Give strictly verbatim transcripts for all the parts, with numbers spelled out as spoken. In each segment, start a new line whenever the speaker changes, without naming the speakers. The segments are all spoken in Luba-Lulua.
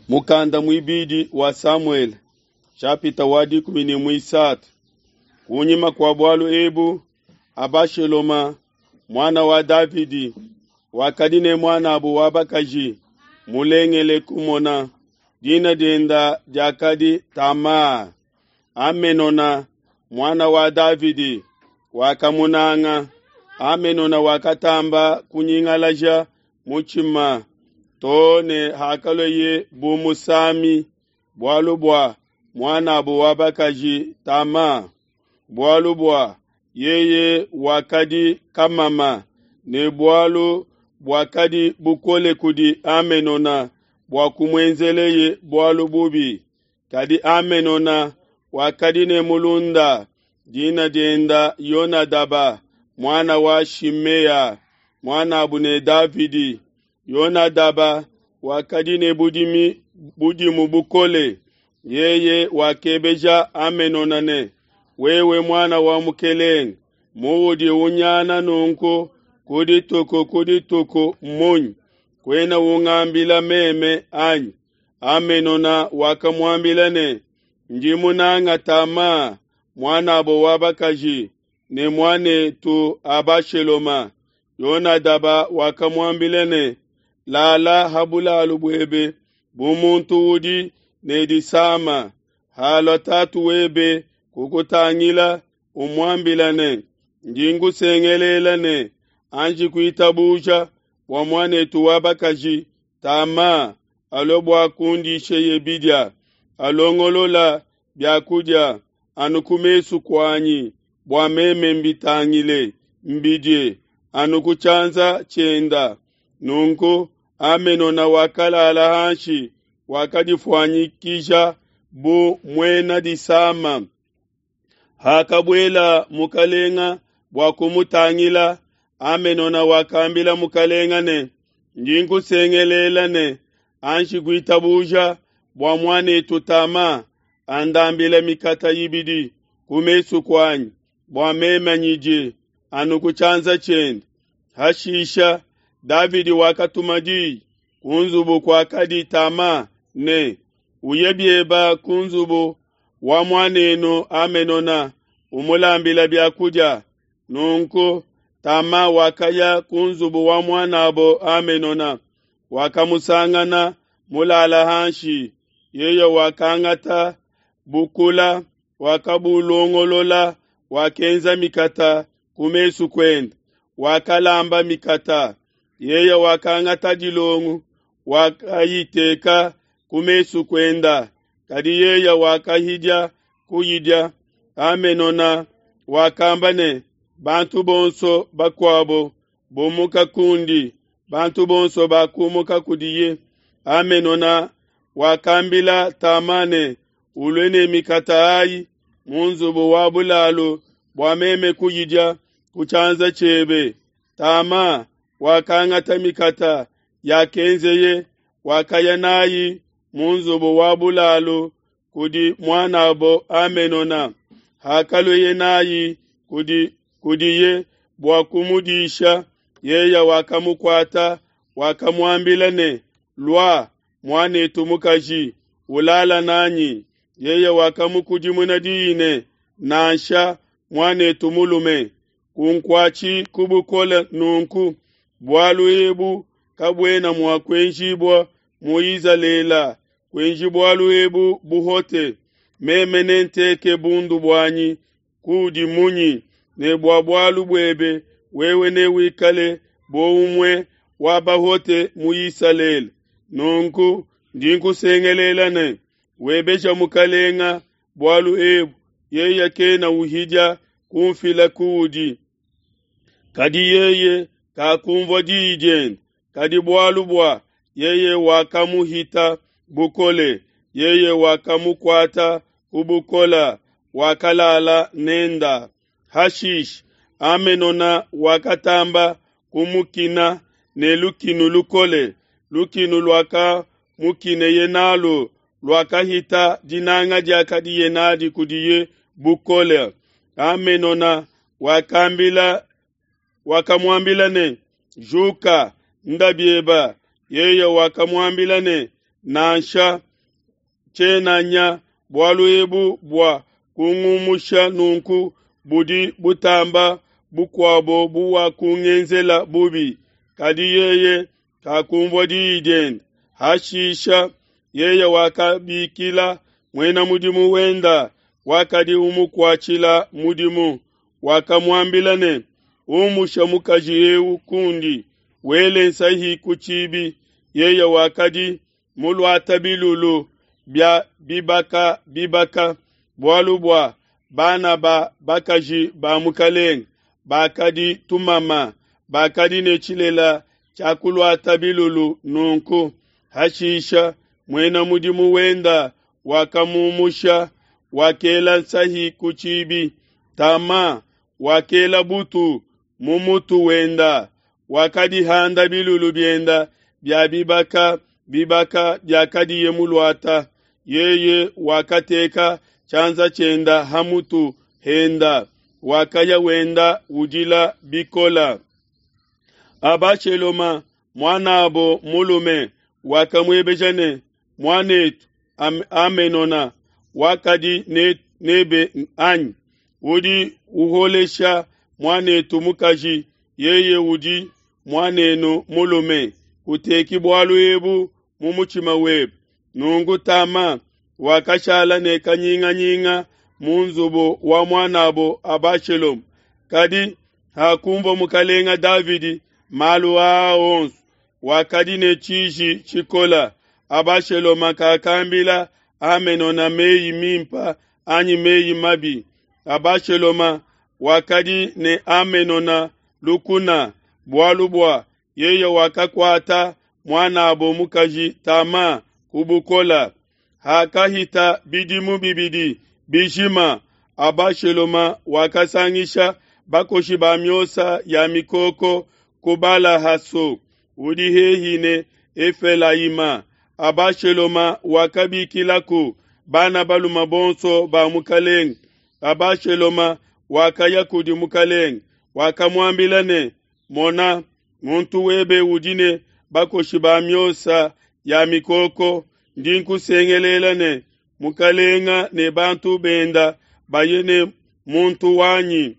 Mukanda muibidi wa Samuele nshapita wa dikumi ne muisatu. Kunyima kua bualu ebu, Abashaloma muana wa Davidi wakadi ne muanabu wa bakaji mulengele kumona, dina dienda diakadi Tama. Amenona muana wa Davidi wakamunanga. Amenona wakatamba kunyingalaja mutshima too ne hakalueye bu musami bualu bua muan'abo wa bakaji Tama, bualu bua yeye wakadi kamama, ne bualu buakadi bukole kudi Amenona bua kumuenzeleye bualu bubi. Kadi Amenona wakadi ne mulunda, dina dienda Yonadaba, muana wa Shimea, muan'abu ne Davidi. Yonadaba wakadi ne budimi budimu bukole. Yeye wakebeja Amenona ne, wewe muana wa mukelenge, muudi unyana nunku ku dituku ku dituku munyi? Kuena ungambila meme anyi? Amenona wakamuambila ne, ndi munanga Tama, muanabo wa bakaji, ne muanetu Abashaloma. Yonadaba wakamuambila ne, lala ha bulalu buebe bu muntu udi ne disama. Halua tatu webe kukutangila, umuambila ne, ndi nkusengelela ne, anji kuitabuja bua muanetu wa bakaji Tama alue bua kundisheye bidia, alongolola biakudia anu ku mesu kuanyi, bua meme mbitangile, mbidie anu ku tshianza tshienda. Nunku Amenona wakalala hanshi, wakadifuanyikija bu muena disama. Hakabuela mukalenga bua kumutangila, Amenona wakambila mukalenga ne, ndi nkusengelela ne, anji kuitabuja bua muanetu Tama andambila mikata ibidi ku mesu kuanyi, bua meme nyidie anu ku tshianza tshiende. Hashisha Davidi wakatuma diyi ku nzubu kuakadi Tama ne, uye bieba ku nzubu wa muanenu Amenona, umulambila biakudia. Nunku Tama wakaya ku nzubu wa muanabo Amenona, wakamusangana mulala hanshi. Yeye wakangata bukula, wakabulongolola, wakenza mikata ku mesu kuende, wakalamba mikata. Yeye wakangata dilongu, wakayiteka ku mesu kuenda, kadi yeye wakahidia kuyidia. Amenona wakamba ne, bantu bonso bakuabo bumuka kundi. Bantu bonso bakumuka kudiye. Amenona wakambila Tama ne, ulue ne mikata ayi mu nzubu wa bulalu bua meme kuyidia ku tshianza tshiebe. Tama wakangata mikata yakenzeye, wakaya nayi mu nzubu wa bulalu kudi muanabo Amenona. Hakalueye nayi kudi kudiye bua kumudisha, yeye wakamukuata, wakamuambila ne, lua muanetu mukaji, ulala nanyi. Yeye wakamukudimuna diyi ne, nansha muanetu mulume, kunkuatshi ku bukole nunku, bualu ebu kabuena mua kuenjibua mu Izalele, kuenji bualu ebu buhote. Meme nenteke bundu buanyi kudi munyi, ne bua bualu buebe wewe newikale bu umue wa bahote mu Isalele. Nunku ndi nkusengelela ne, webeja mukalenga bualu ebu, yeye kena uhidia kumfila kuudi. Kadi yeye kakumvua diyi diende, kadi bualu bua yeye wakamuhita bukole, yeye wakamukuata ku bukola, wakalala nenda. Hashishe Amenona wakatamba kumukina ne lukinu lukole, lukinu luakamukineye nalu luakahita dinanga diakadiye nadi kudiye bukole. Amenona wakambila wakamuambila ne, juka, nda bieba. Yeye wakamuambila ne, Nansha, tshiena nya, bualu ebu bua kungumusha nunku budi butamba bukuabo buwakungenzela bubi. Kadi yeye kakunvua diyi diende. Hashisha yeye wakabikila muena mudimu wenda wakadi umukuatshila mudimu, wakamuambila ne, Umusha mukaji eu kundi, wele nsahi ku tshibi. Yeye wakadi muluate bilulu bia bibaka bibaka, bualu bua bana ba bakaji ba mukelenge bakadi tumama, bakadi ne tshilele tshia kuluata bilulu nunku. Hashisha muena mudimu wenda wakamumusha, wakela nsahi ku tshibi. Tama wakela butu mu mutu wenda, wakadihanda bilulu bienda bia bibaka bibaka biakadiye muluata. Yeye wakateka tshianza tshienda ha mutu henda, wakaya wenda udila bikola. Abasheloma muan'abo mulume wakamuebeja ne, Muan'etu Amenona wakadi nebe anyi? Udi uholesha muan'etu mukaji, yeye udi muan'enu mulume. Kuteki bualu ebu mu mutshima webe. Nunku Tama wakashala ne kanyinganyinga mu nzubu wa muan'abo Abasheloma. Kadi hakunvua mukalenga Davidi malu aa onso, wakadi ne tshiji tshikola. Abasheloma kakambila Amenona meyi mimpe anyi meyi mabi. Abasheloma wakadi ne Amenona lukuna, bualu bua yeye wakakuata muan'abo mukaji Tama ku bukola. Hakahita bidimu bibidi bijima, Abasheloma wakasangisha bakoshi ba miosa ya mikoko ku Bala-haso, udi hehi ne Efelayima. Abasheloma wakabikilaku bana balume bonso ba mukelenge. Abasheloma wakaya kudi mukelenge, wakamuambila ne, Mona, muntu webe udi ne bakoshi ba miosa ya mikoko, ndi nkusengelela ne, mukelenge ne bantu benda baye ne muntu wanyi.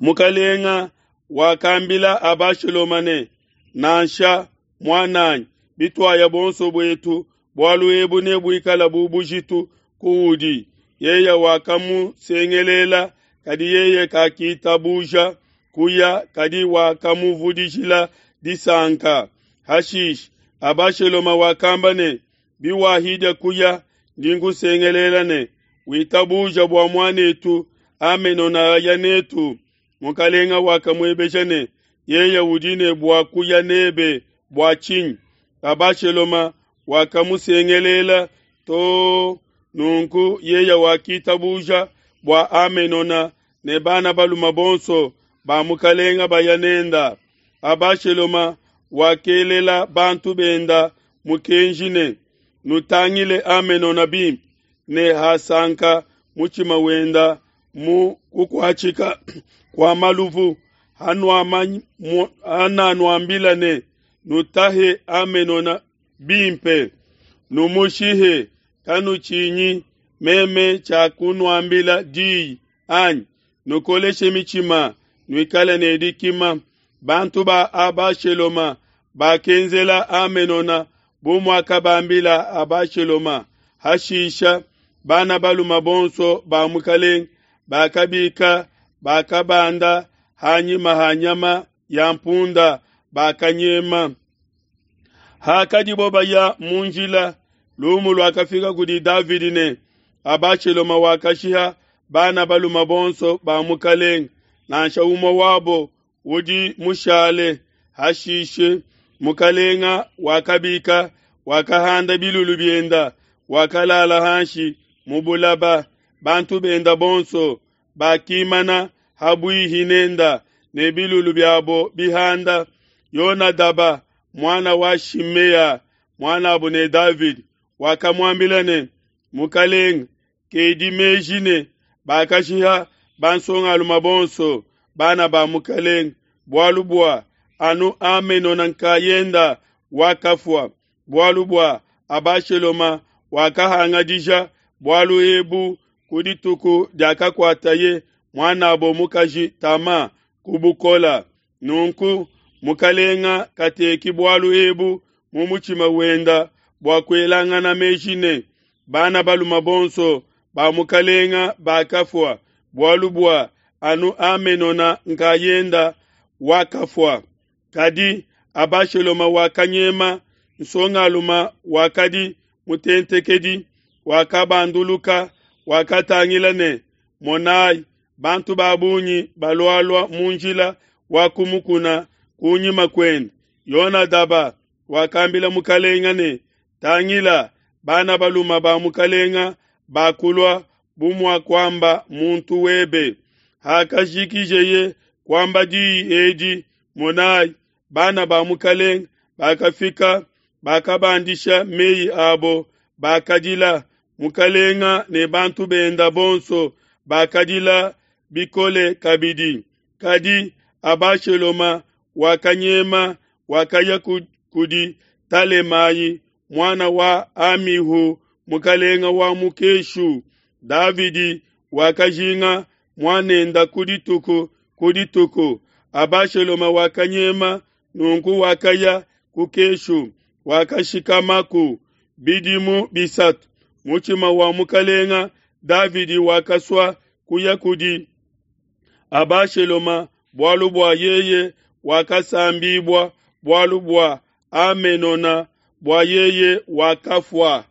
Mukelenge wakambila Abasheloma ne, Nansha, muan'anyi, bituaya buonso buetu, bualu ebu nebuikale bu bujitu kuudi. Yeye wakamusengelela, kadi yeye kakitabuja kuya, kadi wakamuvudijila disanka. Hashishe Abasheloma wakamba ne, Biwahidia kuya, ndi nkusengelela ne, witabuja bua muan'etu Amenona aya netu. Mukelenge wakamuebeja ne, Yeye udi ne bua kuya nebe bua tshinyi? Abasheloma wakamusengelela to nunku yeye wakitabuja bua Amenona ne bana balume bonso ba mukelenge baya nenda. Abasheloma wakelela bantu benda mukenji ne, Nutangile Amenona bimpe, ne hasanka mutshima wenda mu kukuatshika kua maluvu, hananuambila ne, Nutahe Amenona bimpe, numushihe, kanutshinyi, meme tshiakunuambila diyi anyi? Nukoleshe mitshima, nuikale ne dikima. Bantu ba Abasheloma bakenzela Amenona bu muakabambila Abasheloma. Hashisha bana balume bonso ba mukelenge bakabika, bakabanda hanyima ha nyama ya mpunda, bakanyema. Hakadibo baya mu njila, lumu luakafika kudi Davidi ne, Abasheloma wakashiha bana balume bonso ba mukelenge, nansha umue wabo udi mushale. Hashishe mukelenge wakabika, wakahanda bilulu bienda, wakalala hanshi mu bulaba. Bantu benda bonso bakimana habuihi nenda ne bilulu biabo bihanda. Yonadaba muana wa Shimea, muan'abo ne Davidi, wakamuambila ne, Mukelenge, kedi meji ne bakashiha bansongalume bonso bana ba mukelenge, bualu bua anu Amenona nkayenda wakafua, bualu bua Abashaloma wakahangadija bualu ebu ku dituku diakakuataye muan'abo mukaji Tama ku bukola. Nunku mukalenga kateki bualu ebu mu mutshima wenda bua kuelangana meji ne, Bana balume bonso ba mukalenga bakafua, bualu bua anu Amenona nkayenda wakafua. Kadi Abashaloma wakanyema, nsongalume wakadi mutentekedi wakabanduluka, wakatangila ne, monai, bantu ba bungi balualua mu njila wa ku mukuna kunyima kuende. Yonadaba wakambila mukalenga ne, Tangila, bana balume ba mukalenga bakulua bu muakuamba muntu webe. Hakajikijeye kuamba diyi edi, monai, bana ba mukalenga bakafika, bakabandisha meyi abo, bakadila. Mukalenga ne bantu benda bonso bakadila bikole kabidi. Kadi Abashaloma wakanyema, wakaya kudi Talemai, muana wa Amihu, mukalenga wa mu Keshu. Davidi wakajinga muanenda ku dituku ku dituku. Abashaloma wakanyema, nunku wakaya ku Keshu, wakashikamaku bidimu bisatu. Mutshima wa mukalenga Davidi wakasua kuya kudi Abashaloma bualu bua yeye wakasambibua bualu bua Amenona, bua yeye wakafua.